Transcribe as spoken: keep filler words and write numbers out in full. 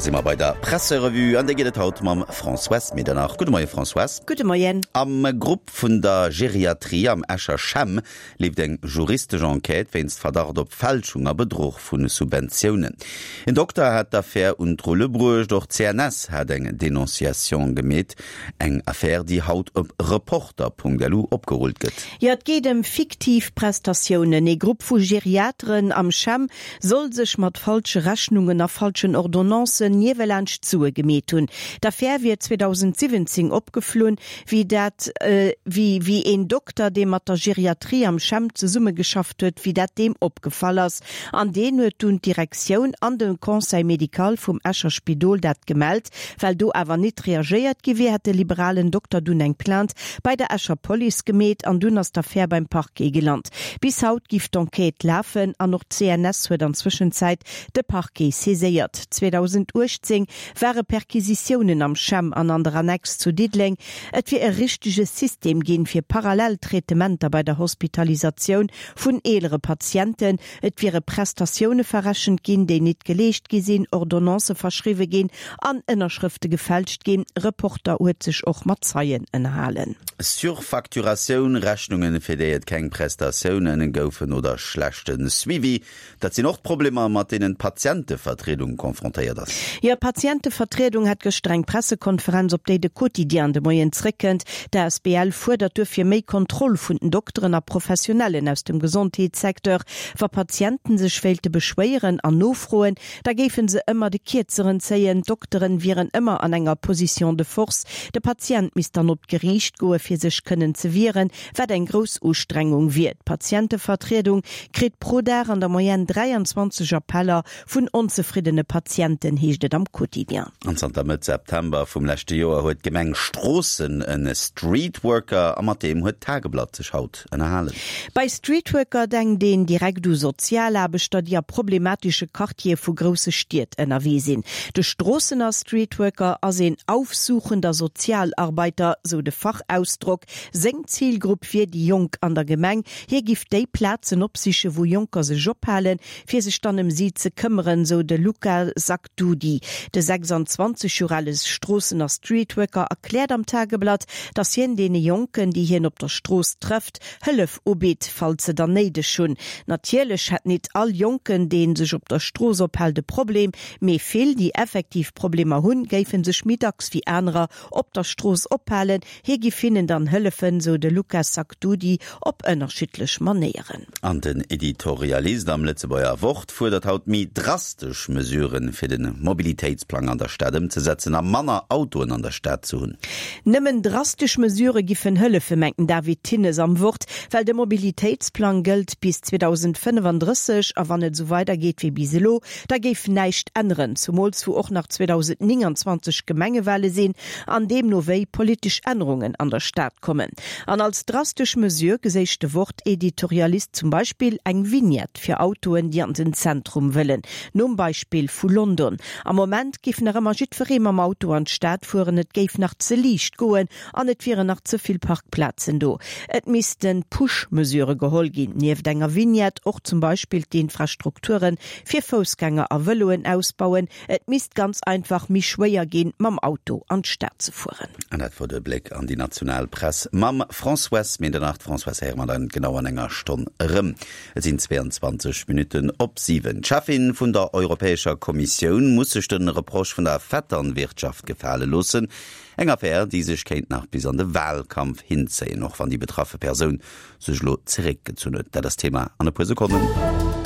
Da si mer bei der Presserevue, an déi geet et haut mam Françoise Medernach. Gudde Moie Françoise. Gudde Moien. Am Grupp vun der Geriatrie am Escher CHEM leeft eng juristesch Enquête wéinst Verdacht op Fälschung a Bedruch vu Subventiounen. En Dokter hat d'Affär un d'Rulle bruecht, och d'CNS hat eng Denonciation gemeet. Eng Affär, déi haut op Reporter.lu opgerullt gëtt. Jo, et geet ëm fiktiv Prestatiounen. Ee Grupp vu Geriateren am CHEM soll sech mat falsche Rechnungen a falschen Ordonnancen niewelaanscht Sue gemeet hunn. D'Affär wier zweedausendsiwwenzéng opgeflunn, wéi dat wéi wéi een Dokter, dee mat der Geriatrie am CHEM zesummegeschafft huet, wéi dat deem opgefall ass. An deen huet dunn d'Direktioun an de Conseil médical vum Escher Spidol dat gemellt. Well do awer nit reagéiert gi wier, hätt de liberalen Dokter dunn eng Plainte bei der Escher Police gemeet an dunn ass d'Affär beim Parquet gelant. Bis haut giff d'Enquête lafen an och d'CNS huet an Zwëschenzäit de Parquet saiséiert. zweedausendachtzéng ware Perquisitiounen am CHEM an an der Annex zu Diddeleng. Et wier e richtege System ginn, fir parallel Traitementer bei der Hospitalisatioun vun eelere Patienten. Et wiere Prestatioune verrechent ginn, déi nit geleescht gi sinn, Ordonnancë verschriwwe ginn an Ënnerschrëfte gefälscht ginn. Reporter huet sech och mat Zeien ënnerhalen. Surfacturatioun, Rechnungen, fir déi et keng Prestatiounen goufen oder schlechte Suivi, dat sinn och d'Problemer, mat deenen d'Patientevertriedung confrontéiert ass. Jo, d'Patientevertriedung hat gëschter eng Pressekonferenz, op déi de Quotidien de Moien zréckkënnt. D'A S B L fuerdert duerfir méi Kontroll vun den Dokteren a Professionellen aus dem Gesondheetssecteur. Wa Patienten sech wéilte beschwéieren an nofroen, da géife se ëmmer de Kierzeren zéien. D'Dokteren wieren ëmmer an enger Position de force. De Patient misst dann op d'Geriicht goe fir sech kënnen ze wieren, wat eng grouss Ustrengung wier. D'Patientevertriedung kritt pro Dag an der Moyenne dräianzwanzeg Appeller vun onzefriddene Patienten, heescht et am Quotidien. An zanter Mëtt September vum leschte Joer huet d'Gemeng Stroossen en Streetworker a mat deem huet d'Tageblatt sech haut ënnerhalen. Bei Streetworker denkt een direkt u Sozialaarbechter, déi a problematesche Quartiere vu grousse Stied ënnerwee sinn. De Stroossener Streetworker ass een aufsuchender Sozialarbeiter, sou de Fachausdrock. Seng Zilgrupp wier déi Jonk an der Gemeng. Hie giff déi Plazen opsichen, wou Jonker sech ophalen, fir sech dann ëm si ze këmmeren, sou de Luca Sacdudi. De sechsanzwanzeg Joer ale Stroossener Streetworker erkläert am Tageblatt, datt hien deene Jonken, déi hien op der Strooss trëfft, Hëllef ubitt, falls se der néideg hunn. Natierlech hätt nit all Jonken, dee sech op der Strooss ophält, e Problem, mee vill, déi effektiv Problemer hunn, géife sech méi dacks wéi anerer op der Strooss ophalen. Hie giff hinnen dann hëllefen, sou de Luca Sacdudi, op ënnerschiddlech Manéieren. An den Editorialist am Lëtzebuerger Wort fuerdert haut méi drastesch Mesuren, fir de Mobilitéitsplang an der Stad ëmzesetzen a manner Autoen an der Stad ze hunn. Nëmmen drastesch Mesurë giffen hëllefen, mengt den David Thinnes am Wort, well de Mobilitéitsplang gëllt bis zweedausendfënnefandrësseg a wann et esou weidergeet wéi bis elo, da géif näischt änneren, zumools wou och nach zweedausendnénganzwanzeg Gemengewale sinn an deemno wéi politesch Ännerungen an der Stad kommen. An als drastesch Mesure geséich de Wort-Editorialist zum Beispill eng Vignette fir Autoen, déi an den Zentrum wëllen, nom Beispill vu London. Am Moment géif nach ëmmer jiddweree mam Auto an d'Stad fueren, et géif nach ze liicht goen an et wieren nach ze vill Parkplazen do. Et misste Push-Mesurë geholl ginn, nieft enger Vignette och zum Beispill d'Infrastrukture fir Foussgänger a Vëloen ausbauen. Et misst ganz einfach méi schwéier ginn, mam Auto an d'Stad ze fueren. An dat wor de Bléck an déi national Press mam Françoise Medernach. D'Françoise héiere mer dann genau an enger Stonn erëm. Et sinn zweeanzwanzeg Minutten op siwen. D'Cheffin vun der Europäescher Kommissioun muss sech de Reproche vun der Vetternwirtschaft gefale loossen. Eng Affär, déi sech kéint nach bis an de Wahlkampf hinzéien, och wann déi betraffe Persoun sech elo zeréckgezunn huet. Dat ass Thema an e puer Sekonnen.